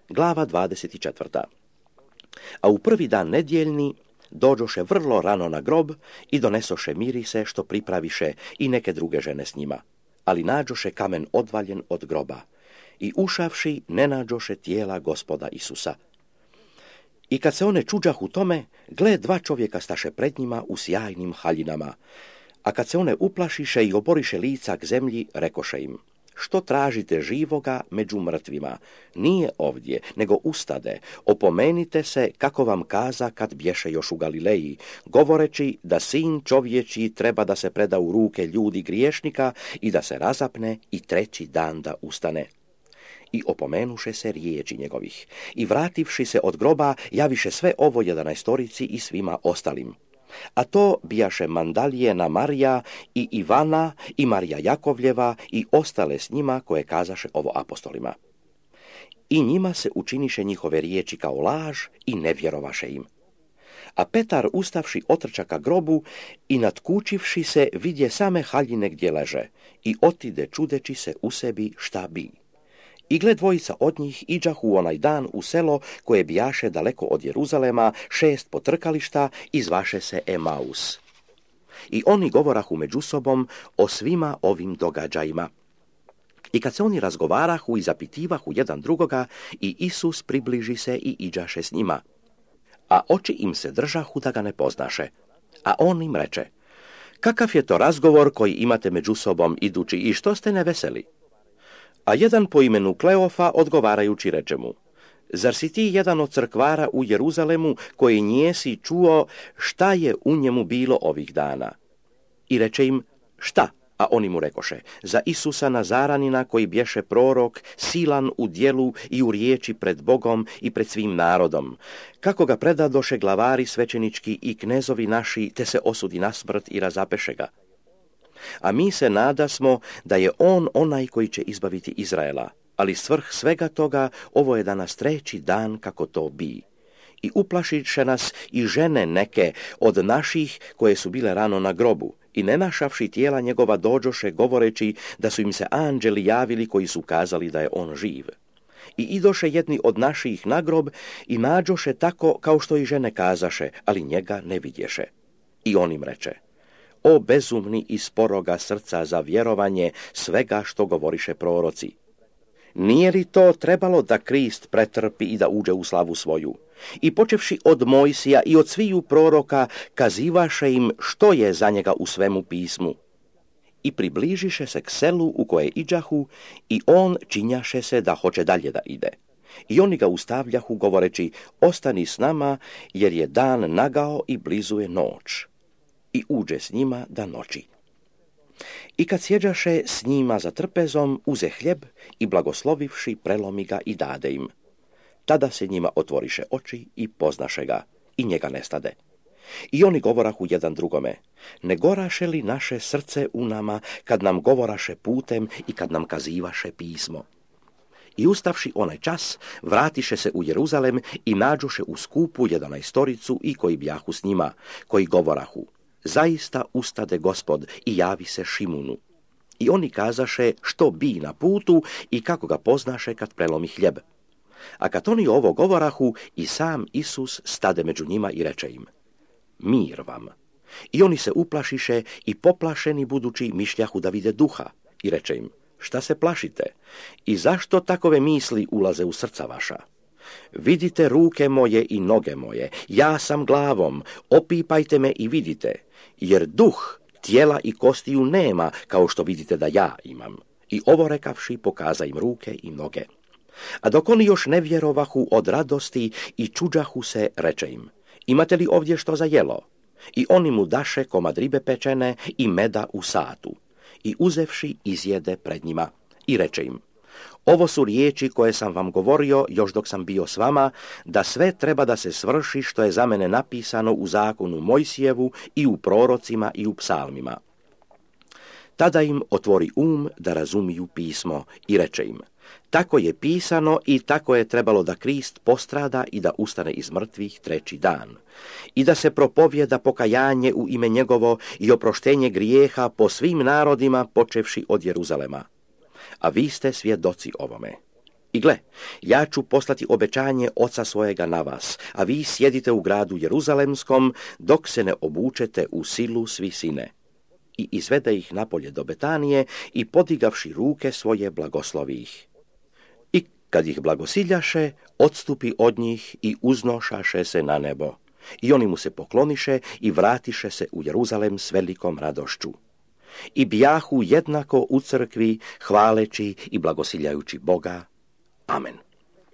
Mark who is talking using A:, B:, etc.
A: Glava 24. A u prvi dan nedjeljni dođoše vrlo rano na grob i donesoše mirise što pripraviše i neke druge žene s njima, ali nađoše kamen odvaljen od groba i ušavši ne nađoše tijela Gospoda Isusa. I kad se one čuđahu tome, gle, dva čovjeka staše pred njima u sjajnim haljinama, a kad se one uplašiše i oboriše lica k zemlji, rekoše im: što tražite živoga među mrtvima? Nije ovdje, nego ustade. Opomenite se kako vam kaza kad bješe još u Galileji, govoreći da sin čovječji treba da se preda u ruke ljudi griješnika i da se razapne i treći dan da ustane. I opomenuše se riječi njegovih. I vrativši se od groba, javiše sve ovo 11 i svima ostalim. A to bijaše Mandalijena Marija i Ivana i Marija Jakovljeva i ostale s njima koje kazaše ovo apostolima. I njima se učiniše njihove riječi kao laž i ne vjerovaše im. A Petar ustavši otrča ka grobu i natkučivši se vidje same haljine gdje leže i otide čudeći se u sebi šta bi. I gle, dvojica od njih iđahu onaj dan u selo koje bijaše daleko od Jeruzalema 6 potrkališta i zvaše se Emaus. I oni govorahu među sobom o svima ovim događajima. I kad se oni razgovarahu i zapitivahu jedan drugoga, i Isus približi se i iđaše s njima. A oči im se držahu da ga ne poznaše. A on im reče: kakav je to razgovor koji imate među sobom idući i što ste neveseli? A jedan po imenu Kleofa odgovarajući reče mu: zar si ti jedan od crkvara u Jeruzalemu koji njesi čuo šta je u njemu bilo ovih dana? I reče im: šta? A oni mu rekoše: za Isusa Nazaranina koji bješe prorok, silan u djelu i u riječi pred Bogom i pred svim narodom, kako ga predadoše glavari svećenički i knezovi naši, te se osudi na smrt i razapeše ga. A mi se nadasmo da je on onaj koji će izbaviti Izraela, ali svrh svega toga ovo je danas treći dan kako to bi. I uplašiše nas i žene neke od naših koje su bile rano na grobu, i ne našavši tijela njegova dođoše govoreći da su im se anđeli javili koji su kazali da je on živ. I idoše jedni od naših na grob i nađoše tako kao što i žene kazaše, ali njega ne vidješe. I on im reče: o bezumni i sporoga srca za vjerovanje svega što govoriše proroci. Nije li to trebalo da Krist pretrpi i da uđe u slavu svoju? I počevši od Mojsija i od sviju proroka, kazivaše im što je za njega u svemu pismu. I približiše se k selu u koje iđahu, i on činjaše se da hoće dalje da ide. I oni ga ustavljahu govoreći: ostani s nama, jer je dan nagao i blizu je noć. I uđe s njima da noći. I kad sjeđaše s njima za trpezom, uze hljeb i blagoslovivši prelomi ga i dade im. Tada se njima otvoriše oči i poznaše ga, i njega nestade. I oni govorahu jedan drugome: ne goraše li naše srce u nama kad nam govoraše putem i kad nam kazivaše pismo? I ustavši onaj čas, vratiše se u Jeruzalem i nađoše u skupu 11 i koji bjahu s njima, koji govorahu: zaista ustade Gospod i javi se Šimunu. I oni kazaše što bi na putu i kako ga poznaše kad prelomi hljeb. A kad oni ovo govorahu, i sam Isus stade među njima i reče im: mir vam. I oni se uplašiše i poplašeni budući mišljahu da vide duha. I reče im: šta se plašite? I zašto takove misli ulaze u srca vaša? Vidite ruke moje i noge moje, ja sam glavom, opipajte me i vidite, jer duh tijela i kostiju nema, kao što vidite da ja imam. I ovo rekavši, pokaza im ruke i noge. A dok oni još ne vjerovahu od radosti i čuđahu se, reče im: imate li ovdje što za jelo? I oni mu daše komad ribe pečene i meda u satu. I uzevši, izjede pred njima. I reče im: ovo su riječi koje sam vam govorio još dok sam bio s vama, da sve treba da se svrši što je za mene napisano u zakonu Mojsijevu i u prorocima i u psalmima. Tada im otvori da razumiju pismo i reče im: tako je pisano i tako je trebalo da Krist postrada i da ustane iz mrtvih treći dan. I da se propovjeda pokajanje u ime njegovo i oproštenje grijeha po svim narodima počevši od Jeruzalema. A vi ste svjedoci ovome. I gle, ja ću poslati obećanje oca svojega na vas, a vi sjedite u gradu Jeruzalemskom, dok se ne obučete u silu svi sine. I izvede ih napolje do Betanije i podigavši ruke svoje blagoslovi ih. I kad ih blagosiljaše, odstupi od njih i uznošaše se na nebo. I oni mu se pokloniše i vratiše se u Jeruzalem s velikom radošću. I bijahu jednako u crkvi, hvaleći i blagosiljajući Boga. Amen.